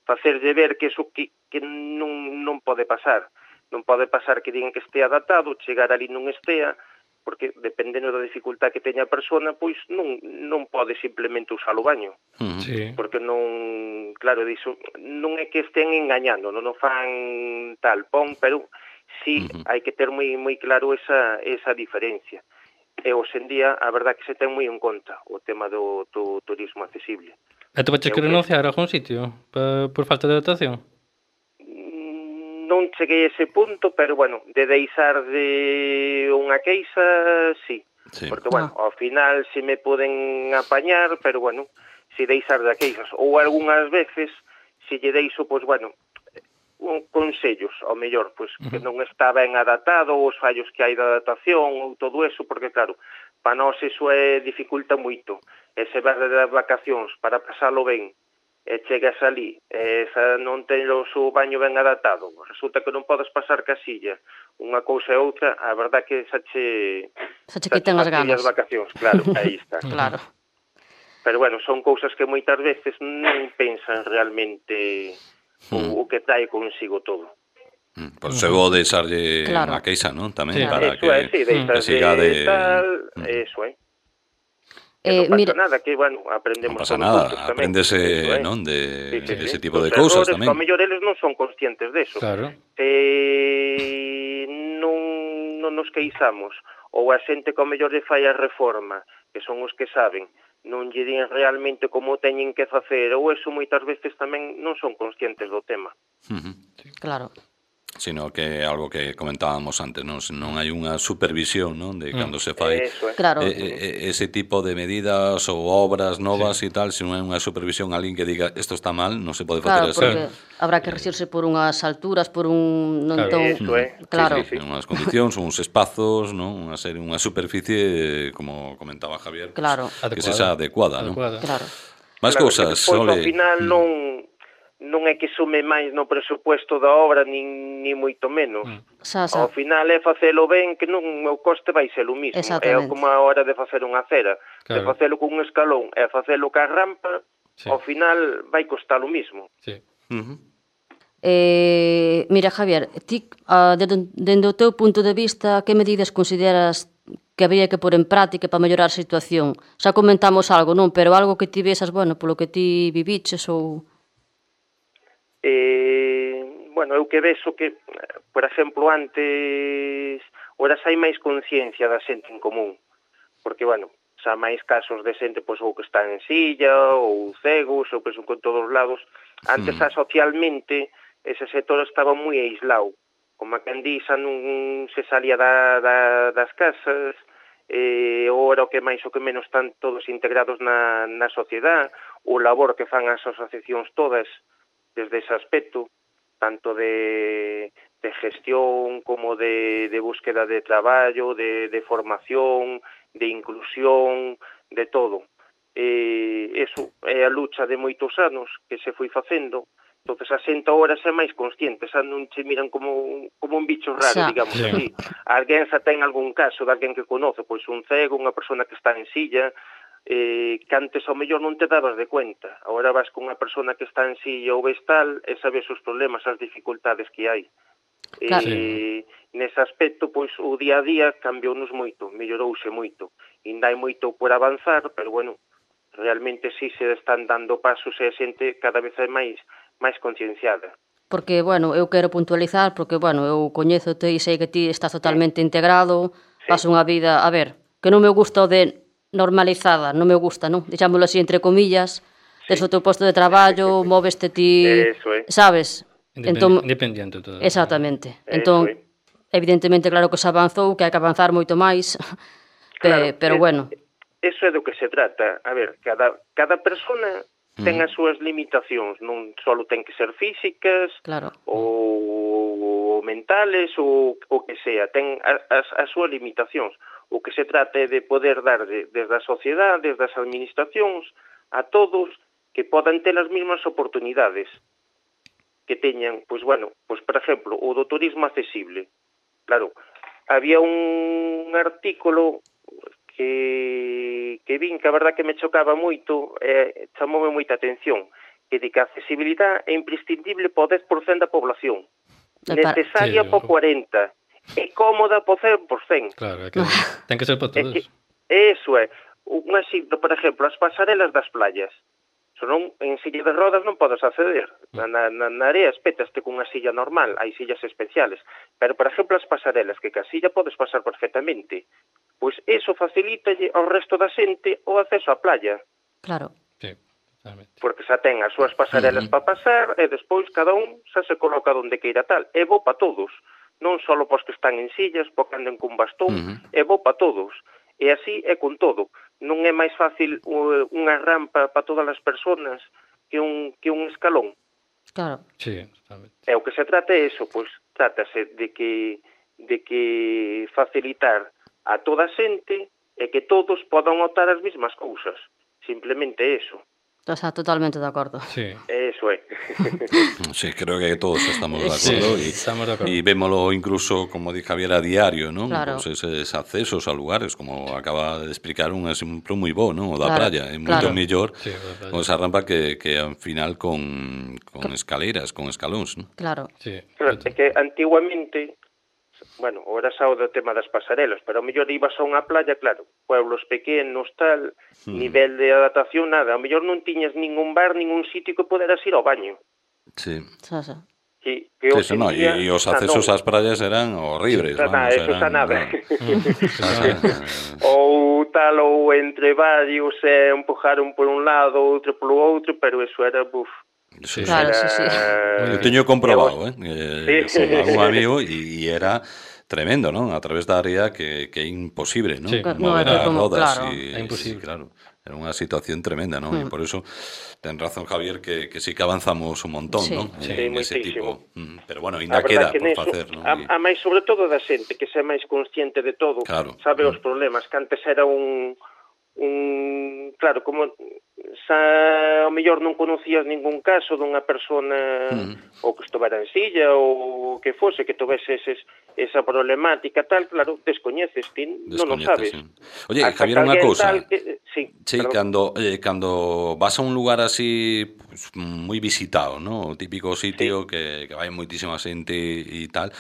facerlle ver que eso que, que non, non pode pasar. Non pode pasar que digan que estea adaptado, chegar ali non estea, porque dependendo da dificultad que teña a persona, pois non, non pode simplemente usar o baño. Sí. Porque non, claro, diso, non é que estén engañando, non o fan tal pon, pero sí uh-huh. hai que ter moi moi claro esa, esa diferencia. E hoxe en día, a verdad que se ten moi en conta o tema do, do turismo accesible.
E te vaches que renunciar a algún sitio pa, por falta de adaptación?
Non cheguei a ese punto, pero, bueno, de deixar de unha queixa, sí. sí. Porque, bueno, ah. ao final se me poden apañar, pero, bueno, se deixar de queixas. Ou algunhas veces, se lle deixo, pois, bueno, un consellos, ao mellor, pois, uh-huh. que non está ben adaptado, os fallos que hai de adaptación, ou todo eso, porque, claro, para nós iso é, dificulta moito. E se vas de vacacións para pasalo ben, e chegas ali, e esa non ten o seu baño ben adaptado, resulta que non podes pasar casilla, unha cousa e outra, a verdad que xa che...
Xa che quitan as ganas.
As vacacións, claro, aí está.
Claro.
Pero bueno, son cousas que moitas veces non pensan realmente mm. o, o que trae consigo todo.
Mm, por eso vou deixarlle claro. unha queixa, non? Tamén
claro.
para
eso
que,
é, sí,
que siga de...
Tal, mm. Eso é. Eh, non pasa mira, nada, que, bueno, aprendemos
non pasa nada, apréndese,
eh?
non, de,
sí, sí,
de ese
sí.
tipo
Los
de cousas
errores,
tamén.
Que ao mellor eles non son conscientes deso.
Claro.
Eh, non, non nos queixamos, ou a xente que ao mellor lle fai a reforma, que son os que saben, non lle din realmente como teñen que facer, ou eso moitas veces tamén non son conscientes do tema.
Uh-huh.
Claro.
Sino que algo que comentábamos antes, non, non hai unha supervisión, non, de cando mm. se fai
Eso, eh.
claro.
eh, ese tipo de medidas ou obras novas sí. e tal, se non hai unha supervisión, alguén que diga isto está mal, non se pode
claro,
facer
porque
así.
Habrá que regirse por unhas alturas, por un non
claro.
ton...
Eso, eh.
Claro.
Sí, sí, sí. Unhas condicións, uns espazos, non, unha serie, unha superficie, como comentaba Javier,
claro.
pues, que sexa adecuada, non?
Claro.
Máis
claro,
cousas,
despois,
ole.
Ao final non non é que sume máis no presupuesto da obra, nin, nin moito menos.
Xa, xa.
Ao final é facelo ben, que non o coste vai ser o mismo. É como a hora de facer unha acera. Claro. De facelo con un escalón e facelo ca rampa, sí. Ao final vai costar o mismo.
Sí.
Uh-huh.
Eh, mira, Javier, ti, uh, dende o teu punto de vista, que medidas consideras que habría que pôr en práctica para mellorar a situación? Xa comentamos algo, non? Pero algo que ti vesas, bueno, polo que ti viviches ou...
Eh, bueno, eu que vexo que, por exemplo, antes horas hai máis conciencia da xente en común, porque, bueno, xa máis casos de xente pois, ou que está en silla ou cegos, ou que son con todos os lados. Antes, xa socialmente, ese sector estaba moi aislado, como a quen di, xa non se salía da, da, das casas, eh, ora o que máis o que menos están todos integrados na, na sociedade, o labor que fan as asociacións todas, desde ese aspecto, tanto de, de gestión como de, de búsqueda de traballo, de, de formación, de inclusión, de todo. Eh, eso é a lucha de moitos anos que se foi facendo, entonces a xente ahora é máis consciente, xa non se miran como, como un bicho raro, xa. Digamos sí. así. Alguén xa ten algún caso de alguén que conoce, pois un cego, unha persona que está en silla, eh, que antes ao mellor non te dabas de cuenta. Agora vas con unha persona que está en silla ou vestal e sabes os problemas, as dificultades que hai. Claro. Eh, nese aspecto, pois, o día a día cambiounos moito, mellorouse moito. Ainda hai moito por avanzar, pero, bueno, realmente sí se están dando pasos e a xente cada vez é máis máis concienciada.
Porque, bueno, eu quero puntualizar, porque, bueno, eu coñézote e sei que ti estás totalmente sí. integrado, sí. Paso unha vida, a ver, que non me gusta o de normalizada, non me gusta, non? Dixámoslo así, entre comillas, sí. Tes o teu posto de traballo, móveste ti,
eso é.
Sabes?
Independ entón, independiente todo.
Exactamente. Entón, é. Evidentemente, claro que se avanzou, que hai que avanzar moito máis, claro, pero,
es,
bueno.
Eso é do que se trata. A ver, cada, cada persona ten as súas limitacións, non só ten que ser físicas,
claro.
ou, ou mentales, ou o que sea, ten as, as súas limitacións. O que se trata é de poder dar de, desde a sociedade, desde as administracións, a todos que podan ter as mesmas oportunidades que teñan, pois bueno, pois por exemplo, o do turismo accesible. Claro, había un artículo que, que vin que a verdad que me chocaba moito, eh, chamoume moita atención, que di que a accesibilidade é imprescindible para o dez por cento da población, necesaria sí, para o cuarenta por cento, é cómoda para o cen por cento.
Claro, é que ten que ser para todos.
Eso é. Un exemplo, por exemplo, as pasarelas das playas. Senón, en silla de rodas non podes acceder. Na, na, na area espétaste con unha silla normal, hai sillas especiales. Pero, por exemplo, as pasarelas, que ca silla podes pasar perfectamente. Pois eso facilita ao resto da xente o acceso á playa.
Claro.
Sí, totalmente.
Porque xa ten as súas pasarelas uh-huh. para pasar e despois cada un xa se coloca onde queira tal. É bo para todos. Non só pos que están en sillas, porque anden con bastón, uh-huh. é bo para todos. E así é con todo. Non é máis fácil unha rampa para todas as persoas que un, que un escalón.
Claro.
Sí, totalmente.
E o que se trata é eso, pois trátase de que, de que facilitar a toda a xente e que todos podan optar as mesmas cousas. Simplemente eso.
Está totalmente de acordo.
Sí.
Eso é.
Sí, creo que todos estamos de acordo.
Sí,
y,
estamos de acuerdo.
y vémoslo incluso, como dice Javier, a diario, ¿no?
Claro.
Pues esos accesos a lugares, como acaba de explicar un exemplo moi bo, ¿no? O da
Claro,
praia, é
claro.
moito mellor
Sí, o da praia.
con esa rampa que, que ao final con, con escaleras, con escalóns, ¿no?
Claro.
Sí.
Claro, é que antiguamente, bueno, ahora xa o do tema das pasarelas, pero ao mellor ibas a unha playa, claro, pueblos pequenos, tal,
Hmm.
nivel de adaptación, nada, ao mellor non tiñas ningún bar, ningún sitio que poderas ir ao baño.
Sí.
Xa, xa.
Que, que
Sí,
hoxe
eso,
en
no,
día,
y, y os
xa
accesos
non.
ás praias eran horribles,
Xa nada,
vamos,
eso xa
eran,
nada.
no.
Ou tal, ou entre varios, eh, empujaron por un lado, outro polo outro, pero eso era, buf,
Sí,
Claro,
sí.
sí, sí.
Eu teño comprobado, eh, eh
Sí.
con algún amigo e era tremendo, ¿no? A través da área que, que é imposible, ¿no?
Sí.
No,
Mover
é que
as
como-
rodas
claro.
y,
É imposible.
y, claro, era unha situación tremenda, ¿no?
Mm.
E por eso ten razón Javier que, que sí que avanzamos un montón,
Sí.
¿no?
Sí,
En ese
moitísimo.
tipo. Mm, Pero bueno,
A
ainda
verdad
queda
que
por
neso,
facer, ¿no?
a,
Y-
a máis sobre todo da xente que sea máis consciente de todo,
Claro.
sabe os
Mm.
problemas, que antes era un un claro, como xa ao mellor non conocías ningún caso dunha persona
Mm.
ou que estuvera en silla ou que fose, que tovese eses, esa problemática tal, claro, descoñeces, ti non o sabes.
Descoñeces, sí. Oye,
Hasta
Javier,
que
unha
alguén
cousa.
tal que, sí,
Sí,
perdón.
cando, eh, cando vas a un lugar así pues, moi visitado, ¿no? O típico sitio
Sí.
que, que vai moitísima xente e tal,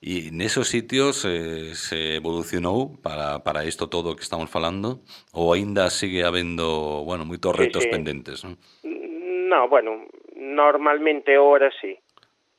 e nesos sitios eh, se evolucionou para, para isto todo que estamos falando, ou aínda sigue habendo, bueno, moitos
Sí,
retos
sí.
pendentes, ¿no?
No, bueno, normalmente ahora sí.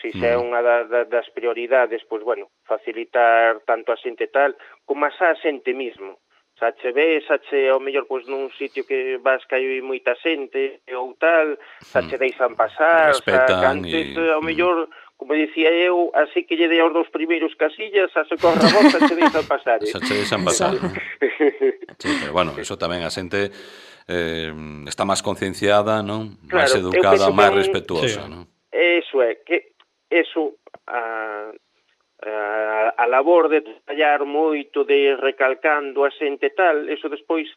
Si xa é
Mm.
unha da, da, das prioridades, pois, bueno, facilitar tanto a xente tal, como a xa a xente mismo. Xa che ves, xa che, ao mellor, pois, nun sitio que vas que hai moita xente ou tal, xa che deixan pasar, xa que
Respetan
antes,
e-
ao mellor, como dicía eu, así que lle dei aos dous primeiros casillas, xa se corre a voz, xa che deixan pasar. Eh?
Xa che deixan pasar, ¿no? Sí, pero bueno, eso tamén a xente eh, está máis concienciada, non? Máis
Claro, eu
educada,
penso que
máis
un-
respetuosa,
Sí.
non?
Eso é, que eso a, a, a labor de traballar moito, de recalcando a xente tal, eso despois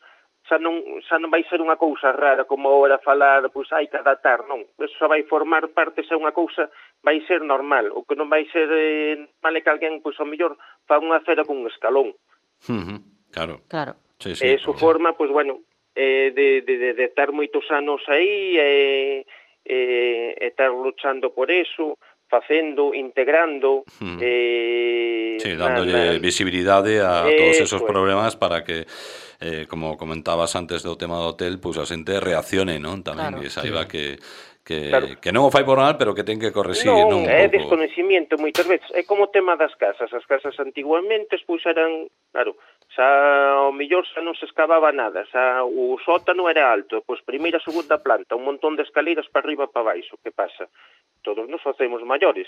xa non, xa non vai ser unha cousa rara como ahora falar, pois hai que adaptar, non. Eso xa vai formar parte, xa unha cousa, vai ser normal. O que non vai ser eh, normal é que alguén, pois ao mellor, fa unha cera con un escalón.
Ujú, claro.
Claro.
Sí, sí,
E iso
pues,
forma, pois, bueno, eh, de, de, de, de estar moitos anos aí e eh, eh, estar luchando por eso, facendo, integrando,
Mm.
eh,
sí,
na-
dándolle
na-
visibilidade a todos esos
Eso é.
problemas para que, eh, como comentabas antes do tema do hotel, pues a xente reaccione, non? Tamén,
Claro.
e saiba
Sí.
que, que,
Claro.
que non o fai por mal, pero que ten que corregir, non?
Non,
Un
é
pouco.
desconocimiento moitas veces. É como o tema das casas. As casas antiguamente, pois eran, claro, xa ao millor xa non se escavaba nada, xa o sótano era alto, pois primeira, segunda planta, un montón de escaleiras para arriba para baixo. Que pasa? Todos nos facemos maiores.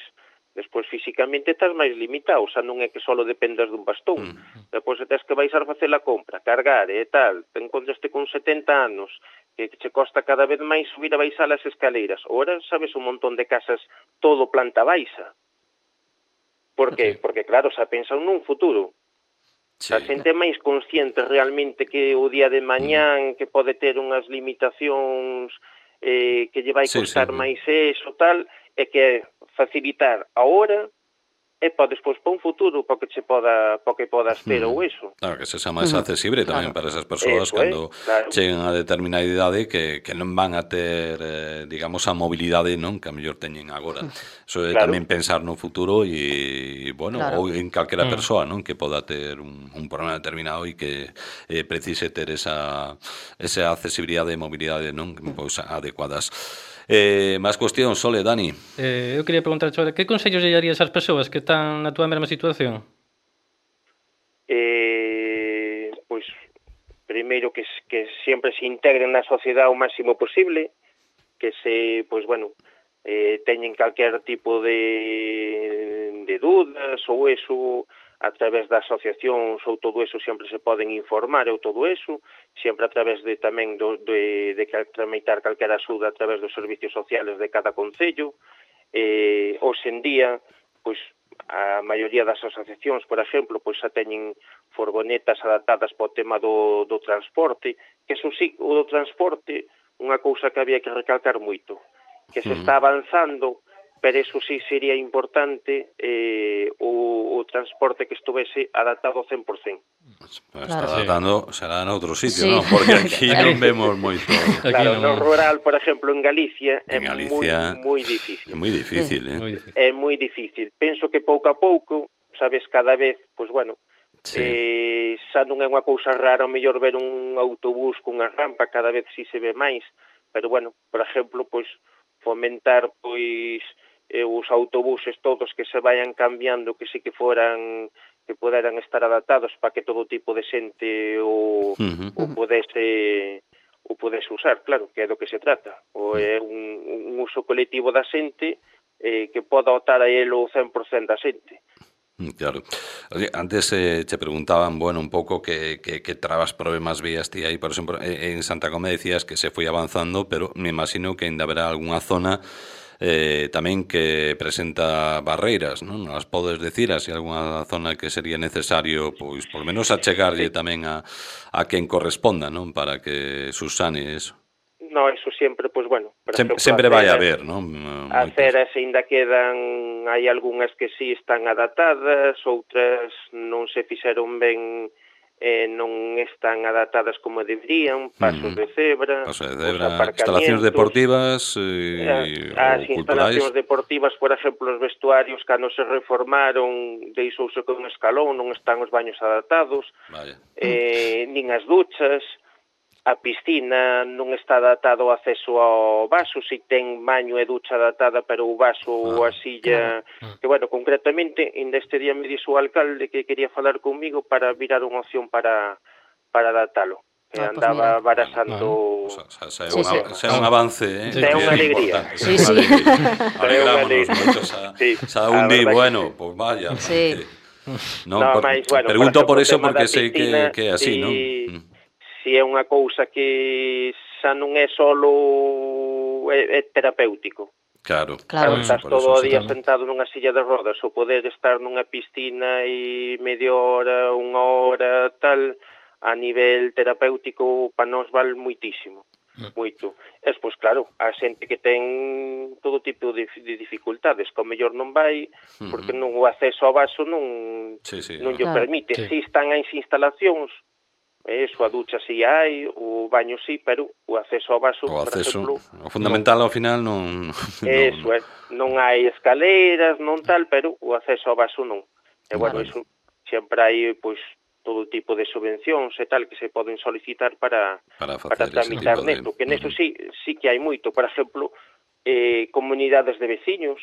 Despois físicamente estás máis limitado, xa non é que só dependas dun bastón.
Mm.
Despois tes que baixar a facer a compra, cargar e tal, te encontraste con setenta anos, que che costa cada vez máis subir a baixar as escaleiras. Ora sabes un montón de casas todo planta baixa. Por que?
Sí.
Porque claro, xa pensan nun futuro.
Sí.
A xente é máis consciente realmente que o día de mañán que pode ter unhas limitacións eh, que lle vai
Sí,
costar
sí.
máis eso, tal, é que facilitar ahora e para despois para un futuro para que che poda, para que podas ter
Mm.
ou eso.
Claro, que se xa máis
Ujú,
accesible tamén
claro.
para esas persoas
Eso é,
cando
claro.
cheguen a determinada idade que, que non van a ter, eh, digamos, a mobilidade, non? Que a mellor teñen agora. Eso é
Claro.
tamén pensar no futuro e, bueno,
Claro.
ou en calquera
Mm.
persoa, non? Que poda ter un, un problema determinado e que eh, precise ter esa, esa accesibilidade e mobilidade, non? Pois adecuadas. Eh, máis cuestións, Sole, Dani.
Eh, eu quería preguntar, Chora, que consellos lle darías ás persoas que están na túa mesma situación?
Eh, pois, primeiro que, que sempre se integren na sociedade o máximo posible, que se, pois, bueno, eh, teñen calquer tipo de, de dudas ou eso a través das asociacións ou todo eso sempre se poden informar ou todo eso, sempre a través de tamén do, de, de tramitar calquera axuda a través dos servicios sociales de cada concello. Eh, hoxe en día, pois, a maioría das asociacións, por exemplo, pois xa teñen furgonetas adaptadas para o tema do, do transporte, que eso sí, o do transporte, unha cousa que había que recalcar moito, que se está avanzando, pero eso sí sería importante eh, o, o transporte que estuvese adaptado ao cen por cento.
Pues está claro. adaptando, será en outro sitio,
sí.
non? Porque aquí non vemos moito.
Claro, no rural, por exemplo, en Galicia,
en
é
Galicia
moi, moi difícil.
É moi difícil, sí. eh?
Muy difícil.
É moi difícil. Penso que pouco a pouco, sabes, cada vez, pois bueno,
sí.
eh, xa non é unha cousa rara, o mellor ver un autobús cunha rampa, cada vez si se ve máis, pero bueno, por exemplo, pois fomentar, pois, eh, os autobuses todos que se vayan cambiando, que sí que foran, que poderan estar adaptados para que todo tipo de xente o, uh-huh. o podese o podese usar, claro, que é do que se trata. O é un, un uso colectivo da xente eh, que poda optar a ele o cen por cento da xente.
Claro. Oye, antes eh, te preguntaban, bueno, un pouco que, que, que trabas, problemas vías ti aí, por exemplo, en Santa Comé decías que se foi avanzando, pero me imagino que ainda haberá algunha zona eh, tamén que presenta barreiras, non? As podes decir, así algunha zona que sería necesario, pois, por menos achegarlle tamén a, a quen corresponda, non? Para que subsane eso.
No, eso sempre, pois, bueno...
Sem, ejemplo, sempre vai a haber, non?
As ceras ainda quedan, hai algunhas que sí están adaptadas, outras non se fixeron ben, eh, non están adaptadas como deberían, pasos mm. de cebra,
pasos de cebra, instalacións deportivas eh,
as
ou
instalacións
culturais.
deportivas, por exemplo, os vestuarios cando se reformaron, deixouse con un escalón, non están os baños adaptados,
Vaya.
eh, nin as duchas. A piscina non está adaptado o acceso ao vaso, si ten baño e ducha adaptada, pero o vaso ou ah, a silla... Claro. Que, bueno, concretamente, ainda este día me dixo o alcalde que quería falar comigo para virar unha opción para, para adaptalo. Que ah, andaba pues barasando...
Bueno, bueno. O sea, sea, sí, un, sí. sea un avance, eh?
Sí, é unha alegría.
Sí, sí.
Alegrámonos moito. Xa un día, bueno, pois pues vaya.
Sí.
No, no, por, mais, bueno, pregunto por, por eso porque sei que, que é así,
si,
non?
Si é unha cousa que xa non é solo é, é terapéutico.
Claro,
claro. Estás todo o día
tamén.
sentado nunha silla de rodas, o poder estar nunha piscina e media hora, unha hora, tal, a nivel terapéutico para nós vale muitísimo. Moito. Es, pois, claro, a xente que ten todo tipo de, de dificultades, que ao mellor non vai, porque non o acceso ao vaso non,
sí, sí,
non
claro.
lle permite. Sí. Si están as instalacións, eso, a ducha si hai, o baño si, pero o acceso ao vaso,
o acceso,
por exemplo...
O fundamental ao final non...
Eso, non, é, non hai escaleiras, non tal, pero o acceso ao vaso non. E, bueno, eso, sempre hai, pois, todo tipo de subvencións e tal que se poden solicitar para,
para,
para tramitar neto, de... que neso sí, sí que hai moito. Por exemplo, eh, comunidades de veciños,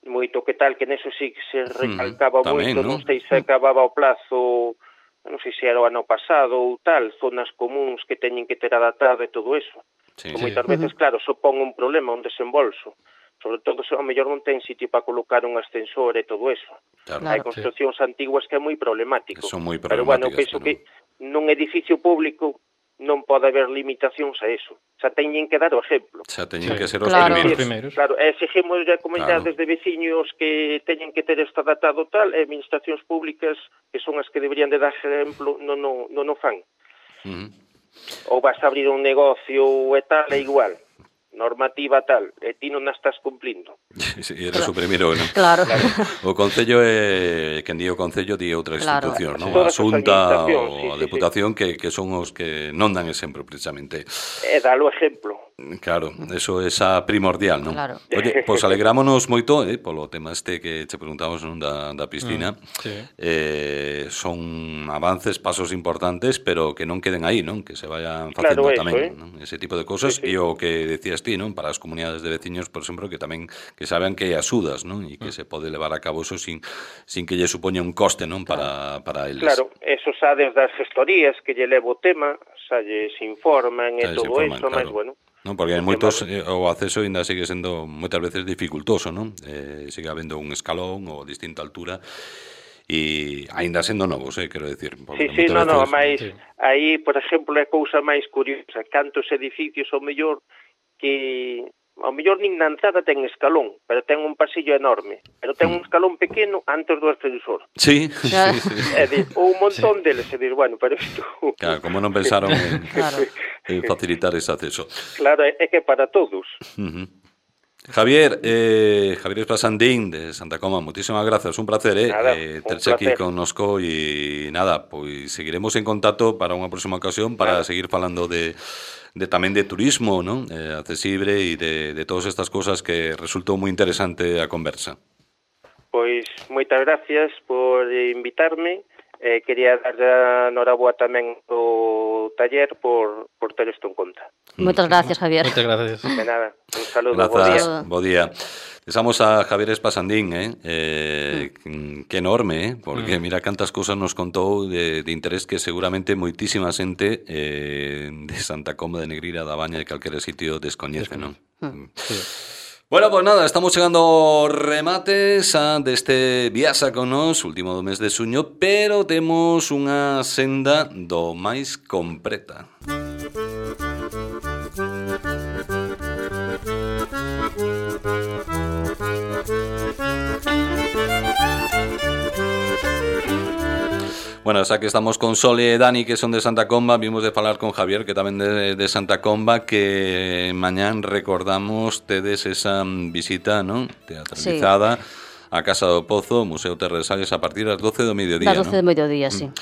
moito que tal, que neso sí que se recalcaba mm, moito, non sei se acababa o plazo, non sei se era o ano pasado ou tal, zonas comuns que teñen que ter adaptado e todo eso. Sí, que moitas sí. veces, claro, supón un problema, un desembolso. Sobre todo, se ao mellor non ten sitio para colocar un ascensor e todo eso.
Claro,
hai construccións sí. antiguas que é moi problemático.
Son moi
pero, bueno, penso que nun edificio público non pode haber limitacións a eso. Xa teñen que dar o exemplo.
Xa teñen sí. que ser os
claro.
primeiros.
Claro, exigimos a comunidades claro. de veciños que teñen que ter isto adaptado tal, e administracións públicas, que son as que deberían de dar exemplo, non no, no, no fan.
Uh-huh.
Ou vas a abrir un negocio e tal, é igual. Normativa tal, e ti non a estás cumplindo.
Sí, eres claro. o primeiro, non?
Claro.
O Concello é, quen di o Concello, di outra institución,
claro.
non? A Xunta ou
sí,
a
sí,
Deputación,
sí.
que, que son os que non dan exemplo, precisamente.
É dar o exemplo.
Claro, eso é xa primordial, non?
Claro.
Oye, pois pues alegrámonos moito, eh, polo tema este que che preguntamos non da, da piscina. Mm,
sí.
eh, son avances, pasos importantes, pero que non queden aí, non? Que se vayan facendo
claro,
tamén,
eso, eh?
non? Ese tipo de cosas, e sí, sí. o que decías ti, non? Para as comunidades de veciños, por exemplo, que tamén que saben que hai axudas, non? E que mm. se pode levar a cabo eso sin, sin que lle supoña un coste, non? Para, para eles.
Claro, eso xa desde as gestorías que lle levo o tema, xa lles informan e
xa
todo
informan,
eso,
claro.
mas bueno.
Non, porque hai moitos, eh, o acceso ainda sigue sendo moitas veces dificultoso, non? Eh, sigue habendo un escalón ou distinta altura e aínda sendo novos, eh, quero decir.
Sí, sí, no, no, mas sí. aí, por exemplo, é cousa máis curiosa, cantos edificios ao mellor que ao mellor nin na entrada ten escalón, pero ten un pasillo enorme, pero ten un escalón pequeno antes do ascensor.
Sí, sí, sí.
É dir, un montón sí. deles, é dir, bueno, pero isto...
Claro, como non pensaron en, claro. en facilitar ese acceso.
Claro, é que para todos.
Uh-huh. Javier, eh, Javier Espasandín de Santa Comba, muchísimas gracias, un placer eh,
nada,
eh, terse aquí connosco e nada, pois seguiremos en contacto para unha próxima ocasión para nada. seguir falando de de tamén de turismo, ¿no? eh, accesible e de, de todas estas cosas que resultou moi interesante a conversa.
Pois moitas gracias por invitarme. Eh, quería dar a noraboa tamén o taller por, por ter isto en conta.
Moitas gracias, Javier.
Moitas gracias.
De nada, un saludo.
Grazas, bo día. Desamos a Javier Espasandín, eh? eh mm. que enorme, eh? porque mm. mira cantas cousas nos contou de, de interés que seguramente moitísima xente eh, de Santa Comba de Negreira, da Baña, de calquera sitio descoñece, non? Mm. Sí. Bueno, pues nada, estamos chegando ao remate xa deste Viaxa con Nos, último do mes de xuño, pero temos unha senda do máis completa. Bueno, xa que estamos con Sole e Dani, que son de Santa Comba, vimos de falar con Javier, que tamén de, de Santa Comba, que mañán recordamos tedes esa visita, non? Teatralizada sí. a Casa do Pozo, Museo Terra de Salles, a partir das doce do mediodía,
das doce do mediodía, sí.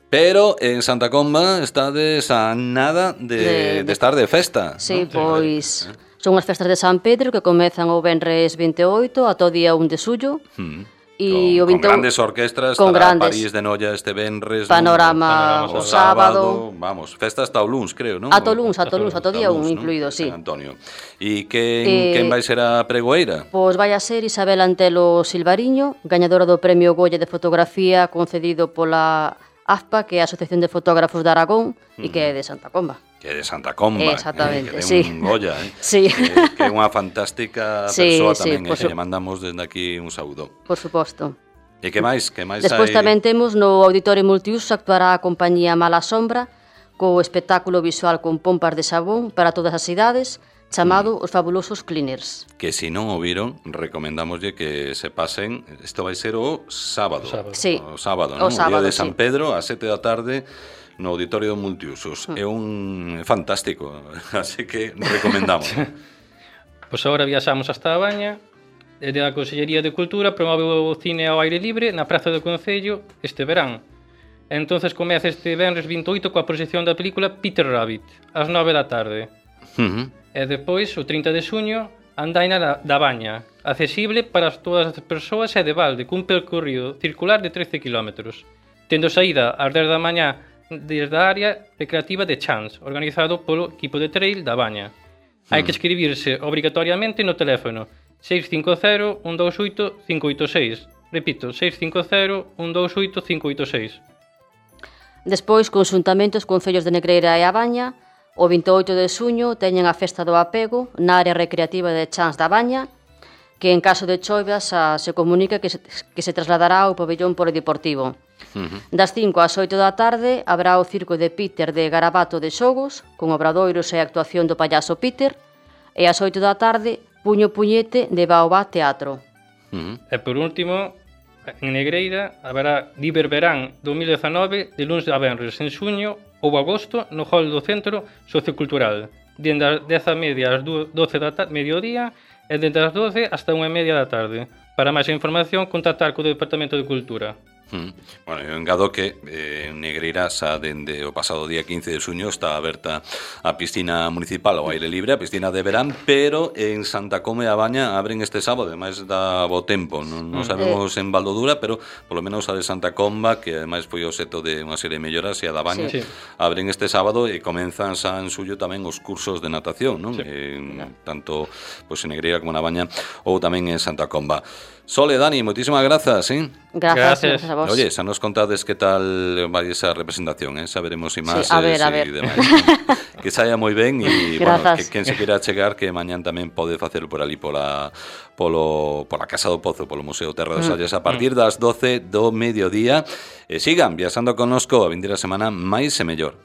Pero en Santa Comba estades a nada de, de, de estar de festa.
Sí,
¿no?
pois... Son as festas de San Pedro que comezan o venres vinte e oito ata o día un de xullo. Mm.
E con, o vinte e un, con grandes orquestras, con grandes, París de Noia este venres,
Panorama, ¿no? o, o sábado,
vamos, festa hasta o luns, creo, non?
Ata o luns, ata o luns, ata o día un incluído, sí.
San Antonio. E quen, eh, quen vai ser a pregoeira?
Pois vai a ser Isabel Antelo Silvariño, gañadora do Premio Goya de Fotografía concedido pola A F P A, que é a Asociación de Fotógrafos de Aragón, mm. e que é de Santa Comba.
Que é de Santa Comba,
exactamente,
eh, que
sí.
un Goya, eh?
Sí.
Eh, que é unha fantástica
sí,
persoa
sí,
tamén, eh,
su...
que lle mandamos desde aquí un saúdo.
Por suposto.
E que máis? Que máis
Despois
hai...
tamén temos no Auditorio Multiuso actuará a compañía Mala Sombra co espectáculo visual con pompas de sabón para todas as idades chamado mm. Os Fabulosos Cleaners.
Que se non o viron, recomendámoslle que se pasen, isto vai ser o sábado.
sábado. Sí.
O sábado, non? O,
sábado,
o día de San
sí.
Pedro a sete da tarde no Auditorio Multiusos. Mm. É un fantástico, así que recomendamos.
Pois pues agora viaxamos hasta a Baña. Desde a Consellería de Cultura promove o cine ao aire libre na Praza do Concello este verán. Entonces comeza este venres vinte e oito coa proxección da película Peter Rabbit, ás nove da tarde. Uh-huh. E depois, o trinta de xuño, Andaina da, da Baña, accesible para todas as persoas e de balde, cun percorrido circular de trece kilómetros, tendo saída ás dez da mañá desde a área recreativa de Chans, organizado polo equipo de trail da Baña. Uh-huh. Hai que escribirse obrigatoriamente no teléfono seis cinco cero, un dos oito, cinco oito seis. Repito, seis cinco cero, un dos oito, cinco oito seis.
Despois, conxuntamente os concellos de Negreira e a Baña, o vinte e oito de xuño teñen a Festa do Apego na área recreativa de Chans da Baña, que en caso de choivas a, se comunica que se, que se trasladará ao pabellón polideportivo. Uh-huh. Das cinco ás oito da tarde habrá o circo de Peter de Garabato de Xogos, con obradoiros e actuación do payaso Peter, e ás oito da tarde Puño Puñete de Baobá Teatro.
Uh-huh. E por último, en Negreira haberá Liberverán dos mil dezanove de luns a venres en xuño ou agosto no hall do Centro Sociocultural, dende as dez e media ás doce da tarde, mediodía, e dende as doce hasta unha e media da tarde. Para máis información, contactar co Departamento de Cultura.
Mm. Bueno, eu engado que eh, en Negreira xa dende o pasado día quince de xuño está aberta a piscina municipal ao aire libre, a piscina de verán, pero en Santa Comba e a Baña abren este sábado, ademais da bo tempo, non, non sabemos en Valdodura, pero polo menos a de Santa Comba, que ademais foi o seto de unha serie de melloras, e a da Baña, sí. abren este sábado e comenzan xa en suyo tamén os cursos de natación, non? Sí. En, tanto pues, en Negreira como na Baña ou tamén en Santa Comba. Sole, Dani, moitísimas grazas, ¿eh?
Gracias, gracias a vos.
Oye, xa nos contades que tal vai esa representación, eh? Xa veremos imaxes
sí, a ver, a ver.
e demais. Que saia moi ben e, bueno, que quen se queira chegar que mañán tamén pode facelo por ali pola, polo, pola Casa do Pozo, polo Museo Terra de Salles, a partir das doce do mediodía. E sigan viaxando connosco a vindeira semana máis e mellor.